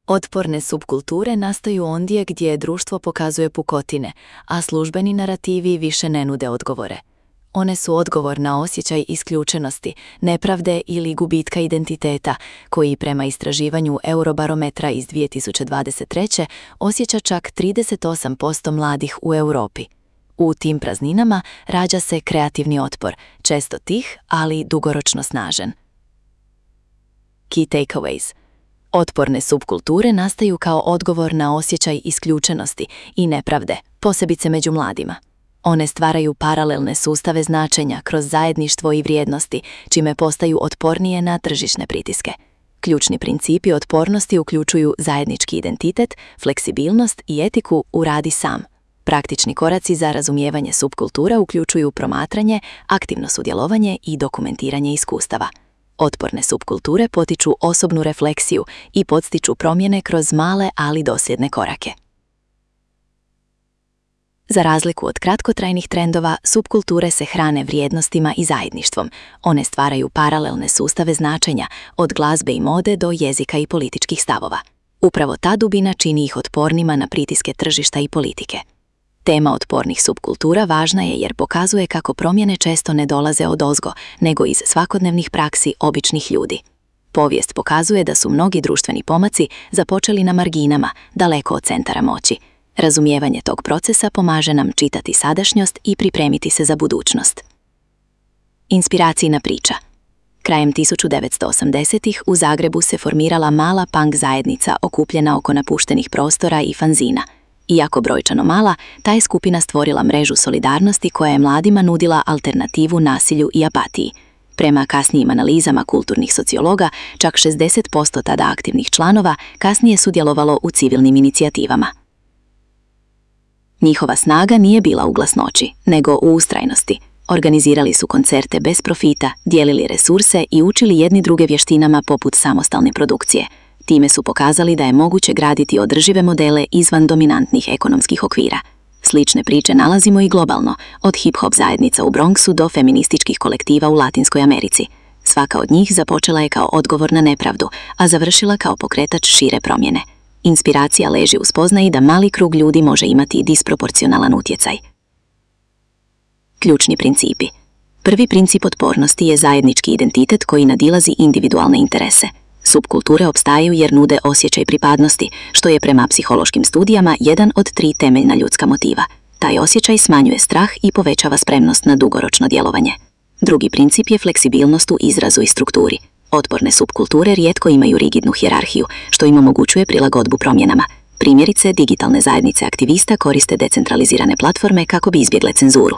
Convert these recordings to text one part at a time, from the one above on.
Otporne subkulture nastaju ondje gdje društvo pokazuje pukotine, a službeni narativi više ne nude odgovore. One su odgovor na osjećaj isključenosti, nepravde ili gubitka identiteta, koji prema istraživanju Eurobarometra iz 2023. osjeća čak 38% mladih u Europi. U tim prazninama rađa se kreativni otpor, često tih, ali dugoročno snažan. Key takeaways. Otporne subkulture nastaju kao odgovor na osjećaj isključenosti i nepravde, posebice među mladima. One stvaraju paralelne sustave značenja kroz zajedništvo i vrijednosti, čime postaju otpornije na tržišne pritiske. Ključni principi otpornosti uključuju zajednički identitet, fleksibilnost i etiku u radi sam. Praktični koraci za razumijevanje subkultura uključuju promatranje, aktivno sudjelovanje i dokumentiranje iskustava. Otporne subkulture potiču osobnu refleksiju i podstiču promjene kroz male, ali dosljedne korake. Za razliku od kratkotrajnih trendova, subkulture se hrane vrijednostima i zajedništvom. One stvaraju paralelne sustave značenja, od glazbe i mode do jezika i političkih stavova. Upravo ta dubina čini ih otpornima na pritiske tržišta i politike. Tema otpornih subkultura važna je jer pokazuje kako promjene često ne dolaze odozgo, nego iz svakodnevnih praksi običnih ljudi. Povijest pokazuje da su mnogi društveni pomaci započeli na marginama, daleko od centara moći. Razumijevanje tog procesa pomaže nam čitati sadašnjost i pripremiti se za budućnost. Inspiracijna priča. Krajem 1980-ih u Zagrebu se formirala mala punk zajednica okupljena oko napuštenih prostora i fanzina. Iako brojčano mala, ta je skupina stvorila mrežu solidarnosti koja je mladima nudila alternativu nasilju i apatiji. Prema kasnijim analizama kulturnih sociologa, čak 60% tada aktivnih članova kasnije sudjelovalo u civilnim inicijativama. Njihova snaga nije bila u glasnoći, nego u ustrajnosti. Organizirali su koncerte bez profita, dijelili resurse i učili jedni druge vještinama poput samostalne produkcije. Time su pokazali da je moguće graditi održive modele izvan dominantnih ekonomskih okvira. Slične priče nalazimo i globalno, od hip-hop zajednica u Bronxu do feminističkih kolektiva u Latinskoj Americi. Svaka od njih započela je kao odgovor na nepravdu, a završila kao pokretač šire promjene. Inspiracija leži u spoznaji da mali krug ljudi može imati disproporcionalan utjecaj. Ključni principi. Prvi princip otpornosti je zajednički identitet koji nadilazi individualne interese. Subkulture opstaju jer nude osjećaj pripadnosti, što je prema psihološkim studijama jedan od 3 temeljna ljudska motiva. Taj osjećaj smanjuje strah i povećava spremnost na dugoročno djelovanje. Drugi princip je fleksibilnost u izrazu i strukturi. Otporne subkulture rijetko imaju rigidnu hijerarhiju, što im omogućuje prilagodbu promjenama. Primjerice, digitalne zajednice aktivista koriste decentralizirane platforme kako bi izbjegle cenzuru.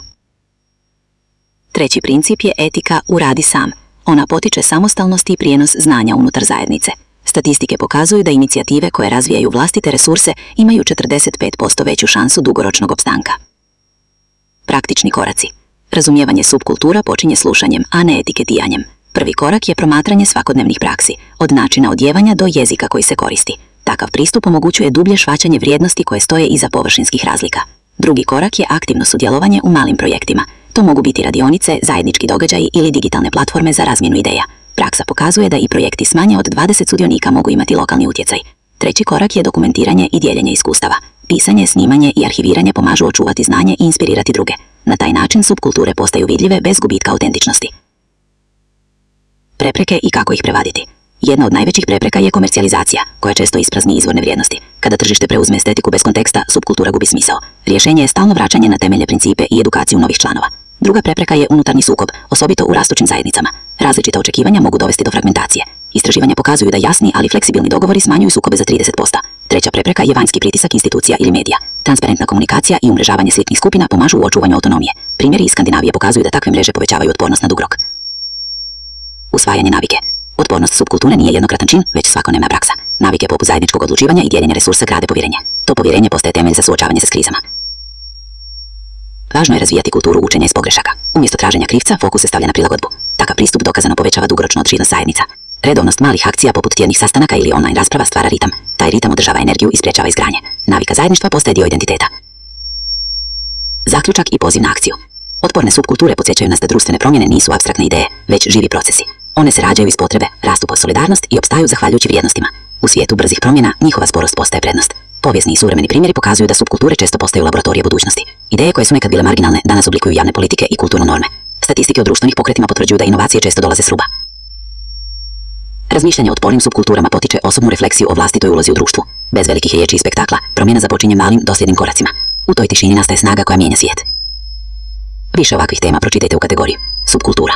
Treći princip je etika u radi sam. Ona potiče samostalnost i prijenos znanja unutar zajednice. Statistike pokazuju da inicijative koje razvijaju vlastite resurse imaju 45% veću šansu dugoročnog opstanka. Praktični koraci. Razumijevanje subkultura počinje slušanjem, a ne etiketiranjem. Prvi korak je promatranje svakodnevnih praksi, od načina odjevanja do jezika koji se koristi. Takav pristup omogućuje dublje shvaćanje vrijednosti koje stoje iza površinskih razlika. Drugi korak je aktivno sudjelovanje u malim projektima. To mogu biti radionice, zajednički događaji ili digitalne platforme za razmjenu ideja. Praksa pokazuje da i projekti s manje od 20 sudionika mogu imati lokalni utjecaj. Treći korak je dokumentiranje i dijeljenje iskustava. Pisanje, snimanje i arhiviranje pomažu očuvati znanje i inspirirati druge. Na taj način subkulture postaju vidljive bez gubitka autentičnosti. Prepreke i kako ih prevaditi. Jedna od najvećih prepreka je komercijalizacija, koja često isprazni izvorne vrijednosti. Kada tržište preuzme estetiku bez konteksta, subkultura gubi smisao. Rješenje je stalno vraćanje na temeljne principe i edukaciju novih članova. Druga prepreka je unutarnji sukob, osobito u rastućim zajednicama. Različita očekivanja mogu dovesti do fragmentacije. Istraživanja pokazuju da jasni, ali fleksibilni dogovori smanjuju sukobe za 30%. Treća prepreka je vanjski pritisak institucija ili medija. Transparentna komunikacija i umrežavanje sličnih skupina pomažu u očuvanju autonomije. Primjeri iz Skandinavije pokazuju da takve mreže povećavaju otpornost na dug rok. Usvajanje navike. Otpornost subkulture nije jednokratan čin, već svakodnevna praksa. Navike poput zajedničkog odlučivanja i dijeljenja resursa grade povjerenje. To povjerenje postaje temelj za suočavanje se s krizama. Važno je razvijati kulturu učenja iz pogrešaka. Umjesto traženja krivca, fokus se stavlja na prilagodbu. Takav pristup dokazano povećava dugoročno održivost zajednica. Redovnost malih akcija poput tjednih sastanaka ili online rasprava stvara ritam. Taj ritam održava energiju i sprječava izgranje. Navika zajedništva postaje dio identiteta. Zaključak i poziv na akciju. Otporne subkulture podsjećaju nas da društvene promjene nisu apstraktne ideje, već živi procesi. One se rađaju iz potrebe, rastu po solidarnost i opstaju zahvaljujući vrijednostima. U svijetu brzih promjena njihova sporost postaje prednost. Povijesni i suvremeni primjeri pokazuju da subkulture često postaju laboratorije budućnosti. Ideje koje su nekad bile marginalne danas oblikuju javne politike i kulturne norme. Statistike o društvenih pokretima potvrđuju da inovacije često dolaze s ruba. Razmišljanje o otpornim subkulturama potiče osobnu refleksiju o vlastitoj ulozi u društvu. Bez velikih riječi i spektakla, promjena započinje malim, dosljednim koracima. U toj tišini nastaje snaga koja mijenja svijet. Više ovakvih tema pročitajte u kategoriju subkultura.